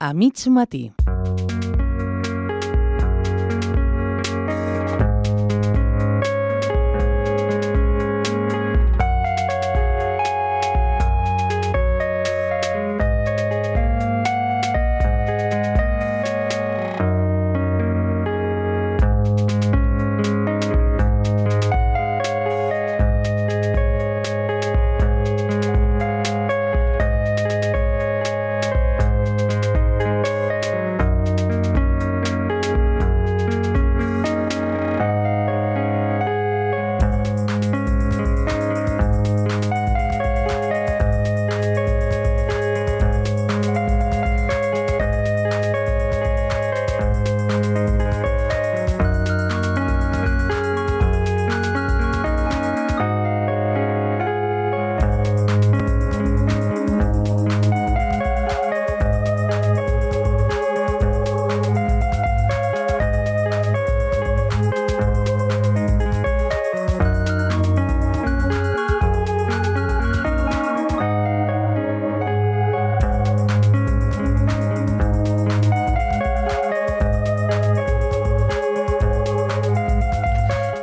a mig matí.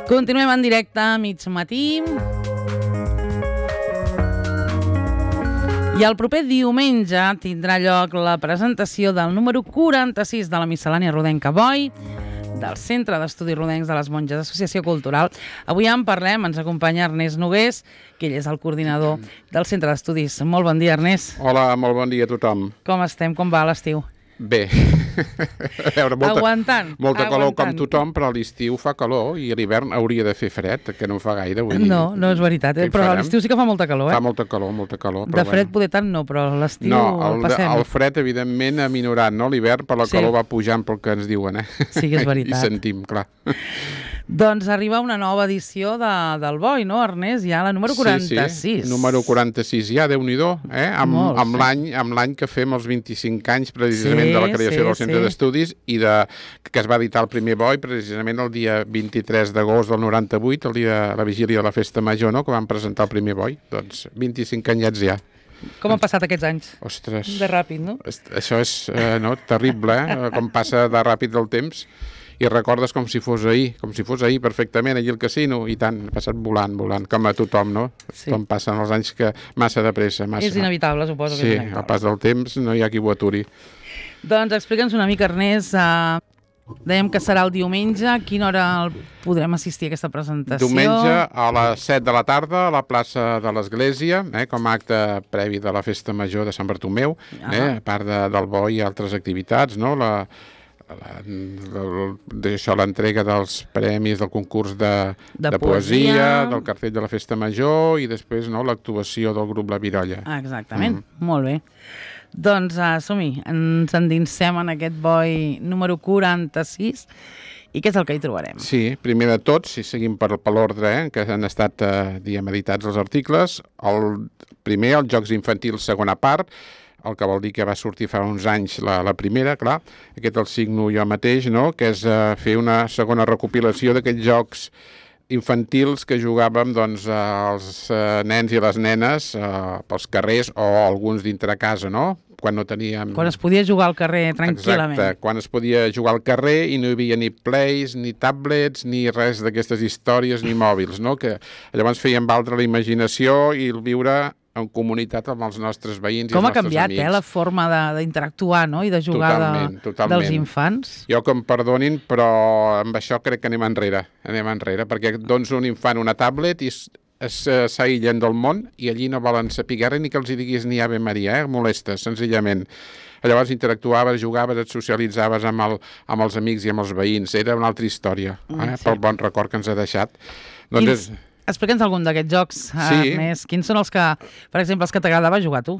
Continuem en directe a mig matí. I el proper diumenge tindrà lloc la presentació del número 46 de la miscel·lània rodenca Boi, del Centre d'Estudis Rodencs de les Monges, Associació Cultural. Avui en parlem, ens acompanya Ernest Nogués, que ell és el coordinador del Centre d'Estudis. Molt bon dia, Ernest. Hola, molt bon dia a tothom. Com estem? Com va l'estiu? Bé. A veure, molta calor com tothom, però a l'estiu fa calor i a l'hivern hauria de fer fred, que no fa gaire. No és veritat, però a l'estiu sí que fa molta calor. Fa molta calor. De fred poder tant no, però a l'estiu passem. No, el fred evidentment ha minorat, no? L'hivern per la calor va pujant pel que ens diuen, Sí, és veritat. I sentim, clar. Doncs arriba una nova edició del Boi, no, Ernest? Ja la número 46. Sí, número 46, ja, Déu-n'hi-do, amb l'any que fem els 25 anys precisament de la creació del Centre d'Estudis i que es va editar el primer Boi precisament el dia 23 d'agost del 98, el dia de la vigília de la Festa Major, no?, que vam presentar el primer Boi. Doncs 25 anyets ja. Com han passat aquests anys? Ostres. De ràpid, no? Això és terrible, com passa de ràpid el temps. I recordes com si fos ahir perfectament, allí al casino, i tant, ha passat volant, com a tothom, no? Sí. Com passen els anys que massa de pressa. És inevitable, suposo. Sí, al pas del temps no hi ha qui ho aturi. Doncs explica'ns una mica, Ernest, dèiem que serà el diumenge, a quina hora podrem assistir a aquesta presentació? Diumenge a les 7 de la tarda a la plaça de l'Església, com a acte previ de la Festa Major de Sant Bartomeu, a part del Boi i altres activitats, no?, l'entrega dels premis del concurs de poesia, del cartell de la Festa Major i després l'actuació del grup La Virolla. Exactament, molt bé. Doncs som-hi, ens endinsem en aquest Boi número 46 i què és el que hi trobarem? Sí, primer de tot, si seguim per l'ordre que han estat editats els articles, el primer, els Jocs Infantils segona part, el que vol dir que va sortir fa uns anys la primera, clar, aquest el signo jo mateix, no?, que és fer una segona recopilació d'aquests jocs infantils que jugàvem doncs els nens i les nenes pels carrers o alguns dintre casa, no?, quan no teníem... Quan es podia jugar al carrer tranquil·lament. Exacte, quan es podia jugar al carrer i no hi havia ni plays, ni tablets, ni res d'aquestes històries, ni mòbils, no?, que llavors fèiem valdre la imaginació i el viure en comunitat amb els nostres veïns i els nostres amics. Com ha canviat, la forma d'interactuar, no?, i de jugar dels infants. Jo que em perdonin, però amb això crec que anem enrere, perquè dones un infant una tablet i s'aïllen del món i allí no volen saber res ni que els diguis ni Ave Maria, molestes, senzillament. Llavors interactuaves, jugaves, et socialitzaves amb els amics i amb els veïns. Era una altra història, pel bon record que ens ha deixat. Doncs explica'ns algun d'aquests jocs, Ernest. Quins són els que, per exemple, els que t'agradava jugar tu?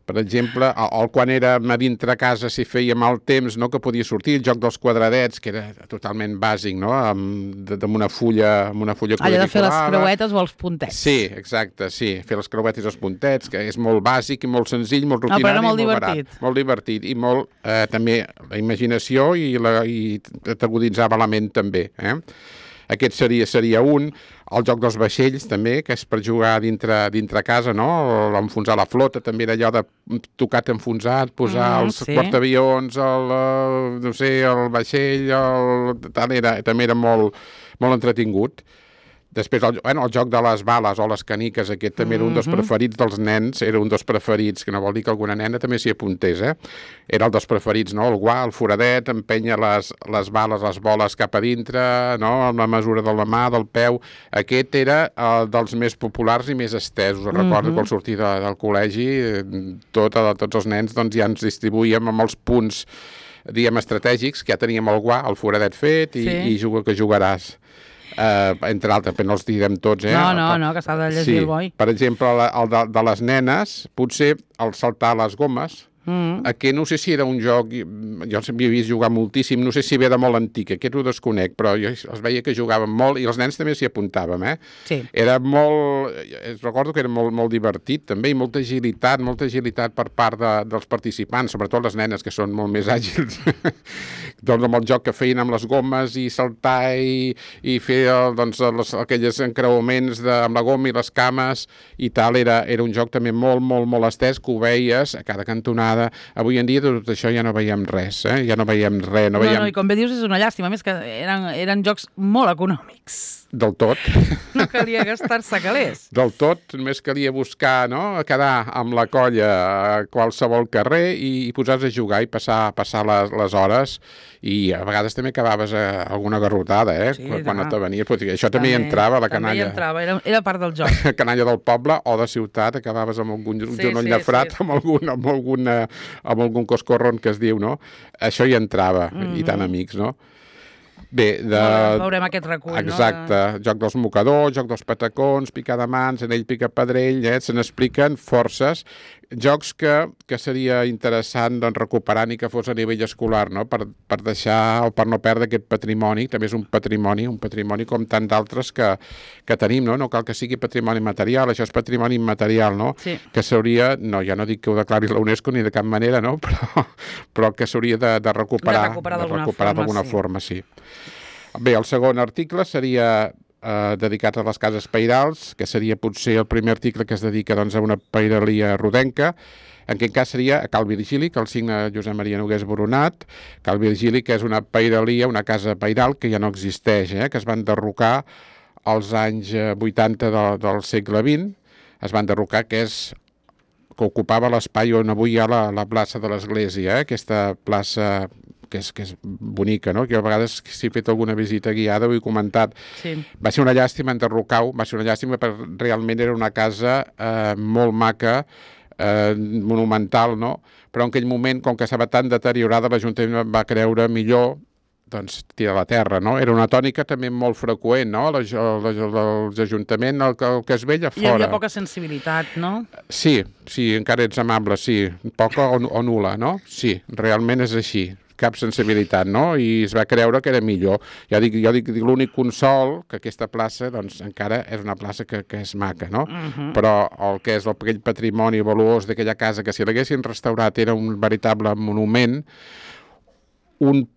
Per exemple, quan érem a dintre casa, si fèiem el temps, no?, que podia sortir, el joc dels quadradets, que era totalment bàsic, no?, amb una fulla quadriculada. Allò de fer les creuetes o els puntets. Sí, exacte, sí, fer les creuetes i els puntets, que és molt bàsic i molt senzill, molt rutinari, però era molt divertit. Molt divertit i molt, també, la imaginació i t'aguditzava la ment també, Aquest seria un. El joc dels vaixells, també, que és per jugar dintre casa, no? Enfonsar la flota, també era allò de tocat enfonsat, posar els portaavions, no sé, el vaixell, també era molt entretingut. Després, el joc de les bales o les caniques, aquest també era un dels preferits dels nens, era un dels preferits, que no vol dir que alguna nena també s'hi apuntés, Era el dels preferits, no? El guà, el foradet, empènyer les bales, les boles cap a dintre, no? Amb la mesura de la mà, del peu. Aquest era dels més populars i més estesos. Recordo que al sortir del col·legi, tots els nens doncs, ja ens distribuïem amb els punts, diguem, estratègics, que ja teníem el guà, el foradet fet i juga que jugaràs. Entre altres, però no els direm tots, No, que s'ha de llegir el boi. Per exemple, el de les nenes, potser el saltar les gomes, aquest no sé si era un joc, jo havia vist jugar moltíssim, no sé si ve de molt antic, aquest ho desconec, però jo els veia que jugaven molt i els nens també s'hi apuntàvem, Sí. Era molt, recordo que era molt divertit també i molta agilitat per part dels participants, sobretot les nenes que són molt més àgils, doncs amb el joc que feien amb les gomes i saltar i fer aquells encreuaments amb la goma i les cames i tal, era un joc també molt estès, que ho veies a cada cantonada. Avui en dia tot això ja no veiem res, ja no veiem res. No, i com bé dius és una llàstima, més que eren jocs molt econòmics. Del tot. No calia gastar-se calés. Del tot, només calia buscar, no?, quedar amb la colla a qualsevol carrer i posar-se a jugar i passar les hores, i a vegades també acabaves alguna garrotada, Sí, quan no te venies. Això també hi entrava, la canalla. També hi entrava, era part del joc. La canalla del poble o de ciutat, acabaves amb algun genoll de frat, amb algun coscorron que es diu, no? Això hi entrava, i tant amics, no? Bé, veurem aquest recull, exacte, joc dels mocadors, joc dels patacons, picar de mans, anell pica pedrell, se n'expliquen forces, jocs que seria interessant recuperar ni que fos a nivell escolar, no? Per deixar o per no perdre aquest patrimoni, també és un patrimoni com tant d'altres que tenim, no? No cal que sigui patrimoni material, això és patrimoni immaterial, no? Sí. Que s'hauria, no, ja no dic que ho declari la UNESCO ni de cap manera, no? Però que s'hauria de recuperar d'alguna forma, sí. Bé, el segon article seria dedicat a les cases pairals, que seria potser el primer article que es dedica a una pairalia rodenca. En aquest cas seria a Cal Virgili, que el signa Josep Maria Nogués Boronat. Cal Virgili, que és una pairalia, una casa pairal que ja no existeix, que es van enderrocar als anys 80 del segle XX. Es van enderrocar, que ocupava l'espai on avui hi ha la plaça de l'Església, aquesta plaça que és bonica, no? Que a vegades, si he fet alguna visita guiada, ho he comentat. Sí. Va ser una llàstima enderrocar-ho, va ser una llàstima perquè realment era una casa molt maca, monumental, no? Però en aquell moment, com que estava tan deteriorada, l'Ajuntament va creure millor tirar a la terra, no? Era una tònica també molt freqüent, no? Els ajuntaments, el que es veia fora. Hi havia poca sensibilitat, no? Sí, encara ets amable, sí. Poca o nul·la, no? Sí, realment és així. Cap sensibilitat, no? I es va creure que era millor. Ja dic l'únic consol, que aquesta plaça, encara és una plaça que és maca, no? Però el que és aquell patrimoni valuós d'aquella casa, que si l'haguessin restaurat era un veritable monument,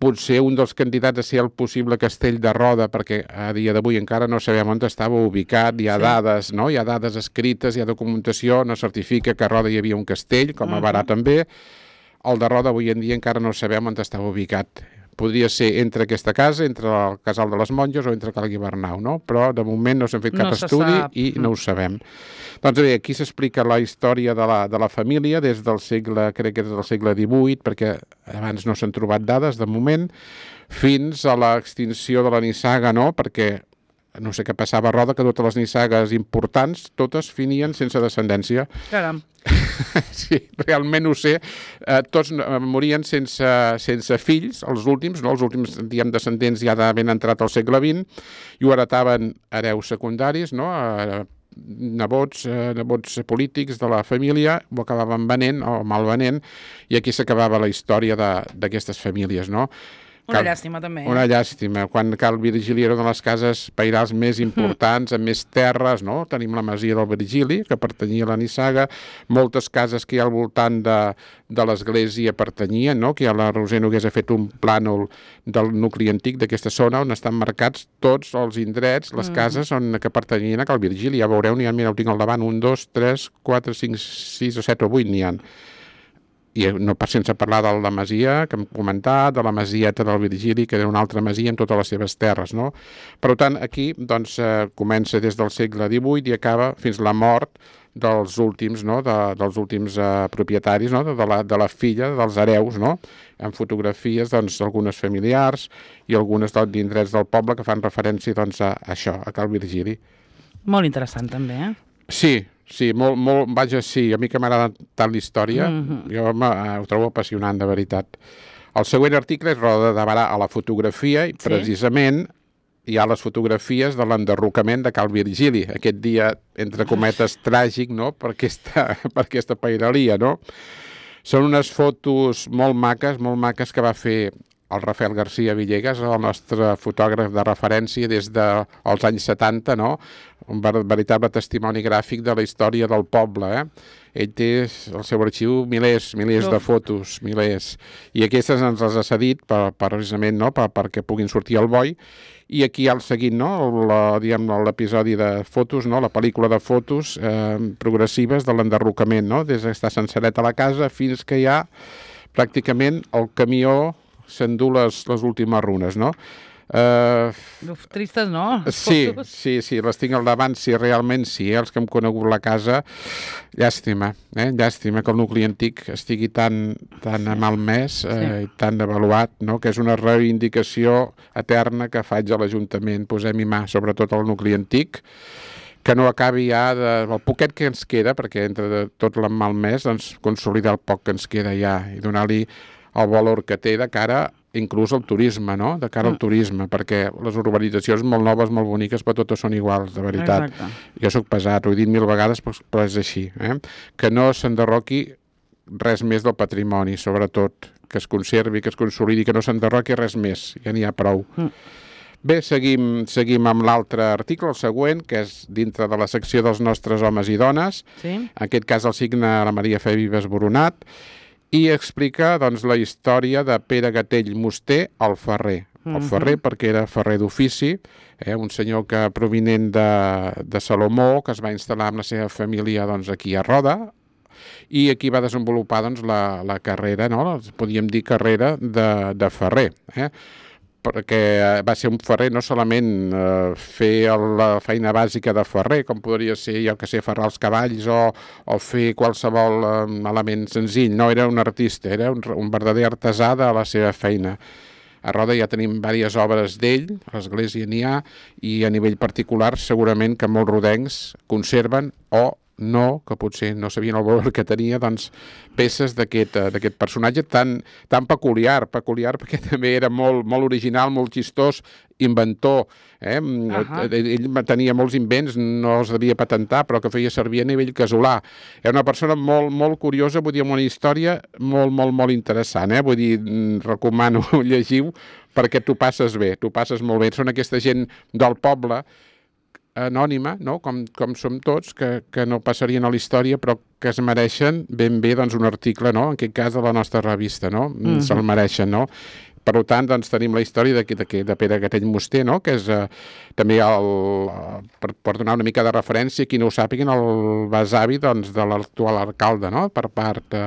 potser un dels candidats a ser el possible castell de Roda, perquè a dia d'avui encara no sabem on estava ubicat, hi ha dades, no? Hi ha dades escrites, hi ha documentació, no certifica que a Roda hi havia un castell, com a Barà també. El de Roda avui en dia encara no sabem on estava ubicat. Podria ser entre aquesta casa, entre el Casal de les Monges o entre Cal Guibernau, no? Però de moment no s'ha fet cap estudi i no ho sabem. Doncs bé, aquí s'explica la història de la família des del segle, crec que és del segle XVIII, perquè abans no s'han trobat dades de moment, fins a l'extinció de la nissaga, no? Perquè no sé què passava a Roda, que totes les nissagues importants, totes finien sense descendència. Caram. Sí, realment ho sé. Tots morien sense fills, els últims, no? Els últims, diguem, descendents ja ben entrat al segle XX, i ho heretaven hereus secundaris, no? Nebots polítics de la família, ho acabaven venent o malvenent, i aquí s'acabava la història d'aquestes famílies, no? Una llàstima, també. Una llàstima. Quan Cal Virgili era una de les cases pairals més importants, amb més terres, no? Tenim la masia del Virgili, que pertanyia a la Nissaga, moltes cases que hi ha al voltant de l'església pertanyien, no? Que ja la Roser Nogués ha fet un plànol del nucli antic d'aquesta zona, on estan marcats tots els indrets, les cases que pertanyien a Cal Virgili. Ja veureu, mira, ho tinc al davant, 1, 2, 3, 4, 5, 6 o 7 o 8 n'hi ha. I no sense parlar de la masia que hem comentat, de la masieta del Virgili, que era una altra masia amb totes les seves terres, no? Per tant, aquí doncs, comença des del segle XVIII i acaba fins la mort dels últims, no? dels últims propietaris, no? de la filla dels hereus, no? Amb fotografies doncs, algunes familiars i algunes d'indrets del poble que fan referència doncs, a això, a Cal Virgili. Molt interessant, també, Sí, molt, vaja, sí, a mi que m'agrada tant la història, jo ho trobo apassionant, de veritat. El següent article és Roda de Barà a la fotografia, i precisament hi ha les fotografies de l'enderrocament de Cal Virgili, aquest dia, entre cometes, tràgic, no?, per aquesta pairalia, no? Són unes fotos molt maques que va fer el Rafael García Villegas, el nostre fotògraf de referència des dels anys 70, no? Un veritable testimoni gràfic de la història del poble, Ell té al seu arxiu milers de fotos, milers. I aquestes ens les ha cedit precisament, no? perquè puguin sortir al boi. I aquí al seguint, no? L'episodi de fotos, no? La pel·lícula de fotos progressives de l'enderrocament, no? Des d'estar senceret a la casa fins que hi ha pràcticament el camió s'endú les últimes runes, no? Tristes, no? Sí, les tinc al davant, realment sí, els que hem conegut la casa, llàstima que el nucli antic estigui tan malmès i tan devaluat, no? Que és una reivindicació eterna que faig a l'Ajuntament, posem-hi mà, sobretot al nucli antic, que no acabi ja el poquet que ens queda, perquè entre tot el malmès, doncs, consolidar el poc que ens queda ja i donar-li el valor que té de cara inclús al turisme, no? De cara al turisme, perquè les urbanitzacions molt noves, molt boniques, però totes són iguals, de veritat. Exacte. Jo soc pesat, ho he dit 1000 vegades, però és així. Que no s'enderroqui res més del patrimoni, sobretot, que es conservi, que es consolidi, que no s'enderroqui res més, ja n'hi ha prou. Bé, seguim amb l'altre article, el següent, que és dintre de la secció dels nostres homes i dones. En aquest cas el signa la Maria Fe Vives Boronat, i explica doncs, la història de Pere Gatell Musté, el ferrer. El ferrer perquè era ferrer d'ofici, un senyor que provinent de Salomó, que es va instal·lar amb la seva família doncs, aquí a Roda, i aquí va desenvolupar doncs, la carrera, no? Podríem dir carrera de ferrer, perquè va ser un ferrer no solament fer la feina bàsica de ferrer, com podria ser, jo que sé, ferrar els cavalls o fer qualsevol element senzill. No, era un artista, era un verdader artesà de la seva feina. A Roda ja tenim diverses obres d'ell, a l'església n'hi ha, i a nivell particular segurament que molts rodencs conserven o no, que potser no sabien el valor que tenia, doncs, peces d'aquest personatge tan peculiar perquè també era molt original, molt xistós, inventor. Ell tenia molts invents, no els devia patentar, però que feia servir a nivell casolà. Era una persona molt curiosa, vull dir, amb una història molt interessant. Vull dir, recomano llegiu perquè t'ho passes bé, t'ho passes molt bé. Són aquesta gent del poble, anònima, no? Com som tots, que no passarien a la història, però que es mereixen ben bé doncs, un article, no? En aquest cas de la nostra revista, no? Se'l mereixen, no? Per tant, doncs, tenim la història de Pere Gatell Musté, no? Que és també, per donar una mica de referència, qui no ho sàpiguen, el besavi doncs, de l'actual alcalde, no? Per part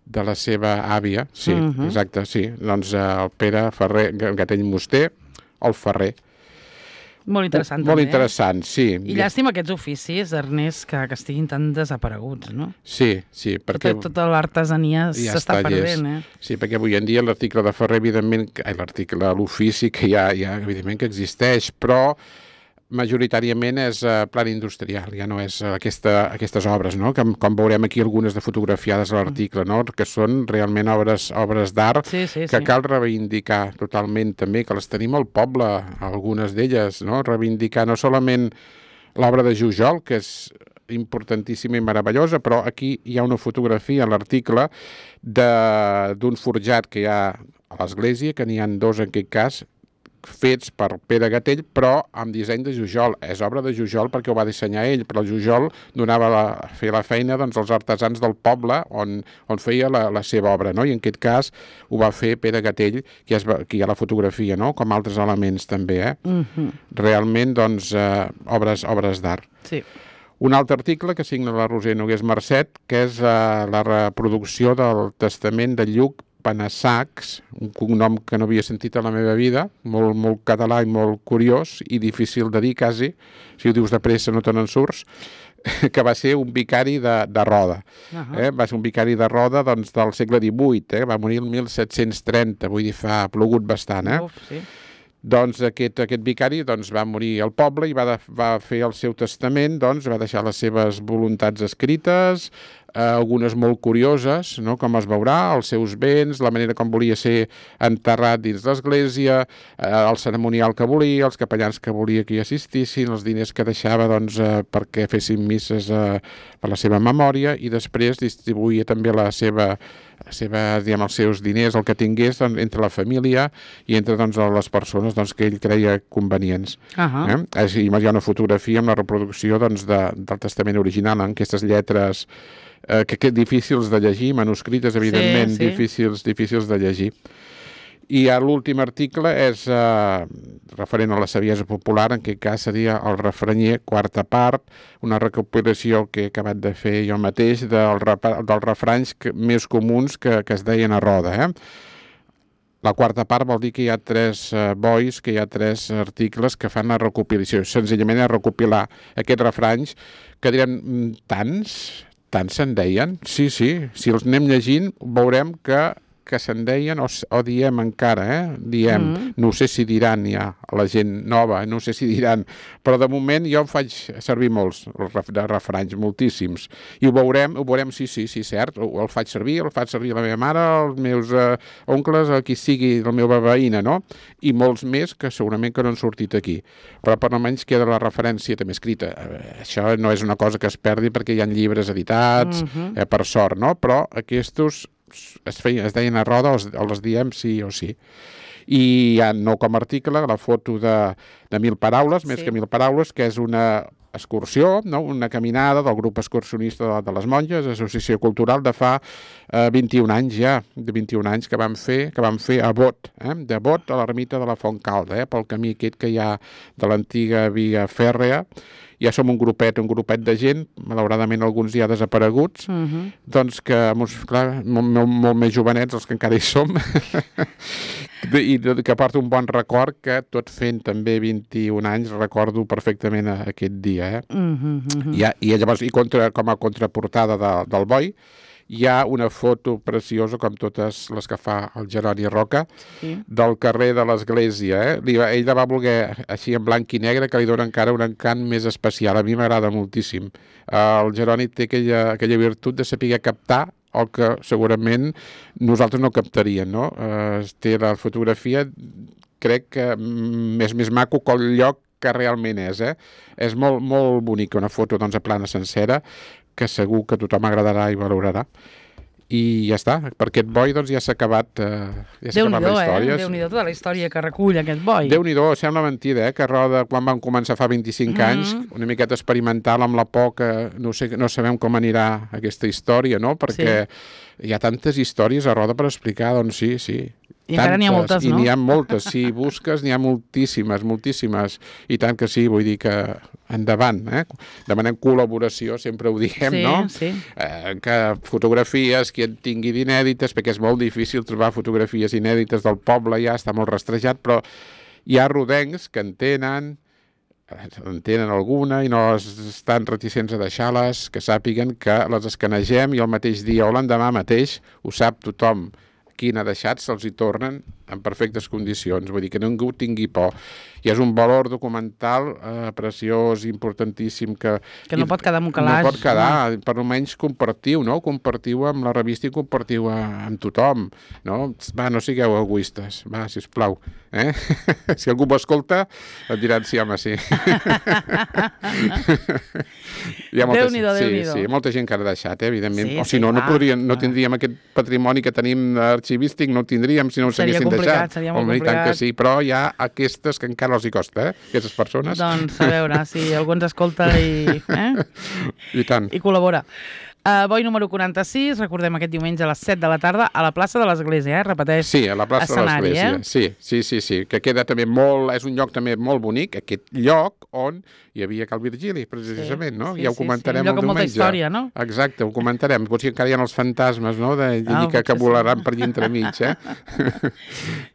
de la seva àvia. Sí, exacte, sí. Doncs el Pere Gatell Musté, el ferrer. Molt interessant, també. Molt interessant, sí. I llàstima aquests oficis, Ernest, que estiguin tan desapareguts, no? Sí, perquè... Tota l'artesania s'està perdent, Sí, perquè avui en dia l'article de ferrer, evidentment, l'ofici que ja, evidentment, que existeix, però majoritàriament és plan industrial, ja no és aquestes obres, no? Com veurem aquí algunes de fotografiades a l'article, no? Que són realment obres d'art que cal reivindicar totalment també, que les tenim al poble, algunes d'elles, no? Reivindicar no solament l'obra de Jujol, que és importantíssima i meravellosa, però aquí hi ha una fotografia en l'article d'un forjat que hi ha l'església, que n'hi ha dos en aquest cas, fets per Pere Gatell, però amb disseny de Jujol. És obra de Jujol perquè ho va dissenyar ell, però el Jujol feia la feina als artesans del poble on feia la seva obra, no? I en aquest cas ho va fer Pere Gatell, que hi ha la fotografia, no? Com altres elements també, Realment, doncs, obres d'art. Sí. Un altre article que signa la Roser Nogués Marcet, que és la reproducció del testament de Lluc Panassacs, un cognom que no havia sentit a la meva vida, molt, molt català i molt curiós i difícil de dir quasi, si ho dius de pressa no te n'en surts, que va ser un vicari de Roda. Va ser un vicari de Roda del segle XVIII, va morir el 1730, vull dir, ha plogut bastant. Sí. Doncs aquest vicari va morir al poble i va fer el seu testament, va deixar les seves voluntats escrites, algunes molt curioses, no? Com es veurà, els seus béns, la manera com volia ser enterrat dins l'església, el ceremonial que volia, els capellans que volia que hi assistissin, els diners que deixava perquè fessin misses per la seva memòria, i després distribuïa també els seus diners, el que tingués, entre la família i entre les persones que ell creia convenients. Hi ha una fotografia amb la reproducció del testament original, en aquestes lletres que difícils de llegir, manuscrites, evidentment, difícils de llegir. I l'últim article és referent a la saviesa popular, en aquest cas seria el refranyer, quarta part, una recopilació que he acabat de fer jo mateix dels refranys més comuns que es deien a Roda. La quarta part vol dir que hi ha 3 bois, que hi ha 3 articles que fan la recopilació. Senzillament és recopilar aquests refranys, que direm tants se'n deien? Sí, si els anem llegint veurem que se'n deien o diem encara, diem, no sé si diran ja la gent nova, no sé si diran, però de moment jo em faig servir molts de refranys, moltíssims, i ho veurem, sí, cert, el faig servir la meva mare, els meus oncles, qui sigui, la meva veïna, no? I molts més que segurament que no han sortit aquí, però per almenys queda la referència també escrita. Això no és una cosa que es perdi perquè hi ha llibres editats, per sort, no? Però aquests es deien a Roda, els diem sí o sí. I hi ha, no com a article, la foto de 1.000 paraules, més que 1.000 paraules, que és una excursió, una caminada del grup excursionista de les Monges, associació cultural, de fa 21 anys ja, de 21 anys que vam fer a Bot, de Bot a l'ermita de la Fontcalda, pel camí aquest que hi ha de l'antiga via fèrrea. Ja som un grupet de gent, malauradament alguns ja desapareguts, doncs que, clar, molt més jovenets, els que encara hi som, i que porta un bon record, que tot fent també 21 anys recordo perfectament aquest dia. I llavors, com a contraportada del boi, hi ha una foto preciosa, com totes les que fa el Jeroni Roca, del carrer de l'església. Ell la va voler així en blanc i negre, que li dona encara un encant més especial. A mi m'agrada moltíssim. El Jeroni té aquella virtut de saber captar el que segurament nosaltres no captaríem, no? Té la fotografia, crec que més maco que el lloc que realment és. És molt, molt bonica, una foto a plana sencera, que segur que tothom agradarà i valorarà. I ja està, per aquest boi ja s'ha acabat la història. Déu-n'hi-do tota la història que recull aquest boi. Déu-n'hi-do, sembla mentida, que Roda, quan vam començar fa 25 anys, una miqueta experimental amb la por, que no sabem com anirà aquesta història, no? Perquè hi ha tantes històries a Roda per explicar, doncs sí. I encara n'hi ha moltes, no? I n'hi ha moltes, si busques n'hi ha moltíssimes, i tant que sí, vull dir que endavant, demanem col·laboració, sempre ho diem, no? Sí. Que fotografies, qui en tingui d'inèdites, perquè és molt difícil trobar fotografies inèdites del poble, ja està molt rastrejat, però hi ha rodencs que en tenen alguna i no estan reticents a deixar-les, que sàpiguen que les escanegem i el mateix dia o l'endemà mateix ho sap tothom. Qui n'ha deixat, se'ls hi tornen en perfectes condicions, vull dir que ningú tingui por. I és un valor documental preciós, importantíssim, que no pot quedar en un calaix. No pot quedar, per almenys compartiu, no? Compartiu amb la revista i compartiu amb tothom, no? Va, no sigueu egoistes, va, sisplau. Si algú m'escolta, et diran sí, home, sí. Déu-n'hi-do, Déu-n'hi-do. Sí, molta gent que ha deixat, evidentment. O si no, no tindríem aquest patrimoni que tenim arxivístic, no el tindríem si no ho s'haguessin deixat. Seria molt complicat. Tant que sí, però hi ha aquestes que encara els hi costa, aquestes persones. Doncs a veure, si algú ens escolta i tant. I col·labora. Boi número 46, recordem aquest diumenge a les 7 de la tarda a la plaça de l'Església, repeteix. Sí, a la plaça de l'Església. Sí, que queda també molt, és un lloc també molt bonic, aquest lloc on hi havia Cal Virgili, precisament, no? Ja ho comentarem el diumenge. Un lloc amb molta història, no? Exacte, ho comentarem. Potser encara hi ha els fantasmes, no?, que volaran per allà entremig,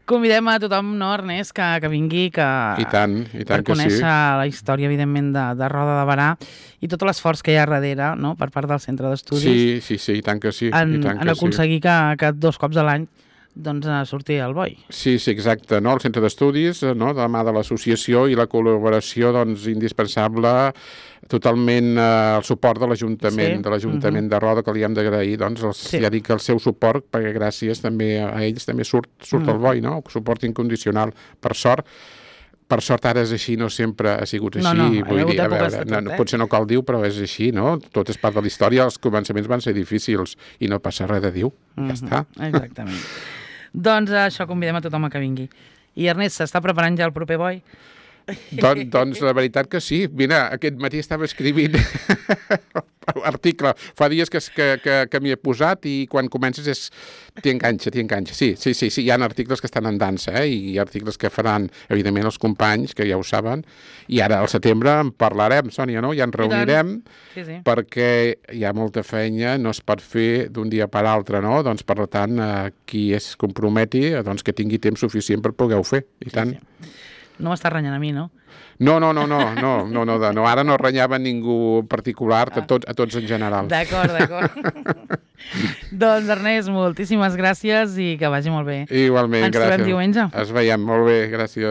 Convidem a tothom, no, Ernest, que vingui, I tant per conèixer la història, evidentment, de Roda de Berà i tot l'esforç que hi ha darrere, no?, per part del centre d'estudis. Sí, i tant que sí. En aconseguir que 2 cops a l'any doncs surti el boi. Sí, exacte, no? El centre d'estudis, no?, de la mà de l'associació i la col·laboració, doncs, indispensable, totalment el suport de l'Ajuntament de Roda, que li hem d'agrair, doncs, ja dic el seu suport, perquè gràcies també a ells també surt el boi, no? Suport incondicional, per sort. Per sort ara és així, no sempre ha sigut així. Vull dir, a veure, potser no cal dir, però és així, no? Tot és part de la història, els començaments van ser difícils i no passa res de dir, ja està. Exactament. Doncs això, convidem a tothom a que vingui. I Ernest, s'està preparant ja el proper boi? Doncs la veritat que sí. Mira, aquest matí estava escrivint article. Fa dies que m'hi he posat i quan comences t'hi enganxa. Sí, hi ha articles que estan en dansa, i hi ha articles que faran, evidentment, els companys, que ja ho saben, i ara al setembre en parlarem, Sònia, no? Ja ens reunirem, perquè hi ha molta feina, no es pot fer d'un dia per l'altre, no? Doncs, per tant, qui es comprometi, doncs que tingui temps suficient per poder-ho fer, i tant. No m'estàs renyant a mi, no? No, ara no renyava ningú en particular, a tots en general. D'acord. Doncs, Ernest, moltíssimes gràcies i que vagi molt bé. Igualment, gràcies. Ens trobem diumenge. Ens veiem, molt bé, gràcies.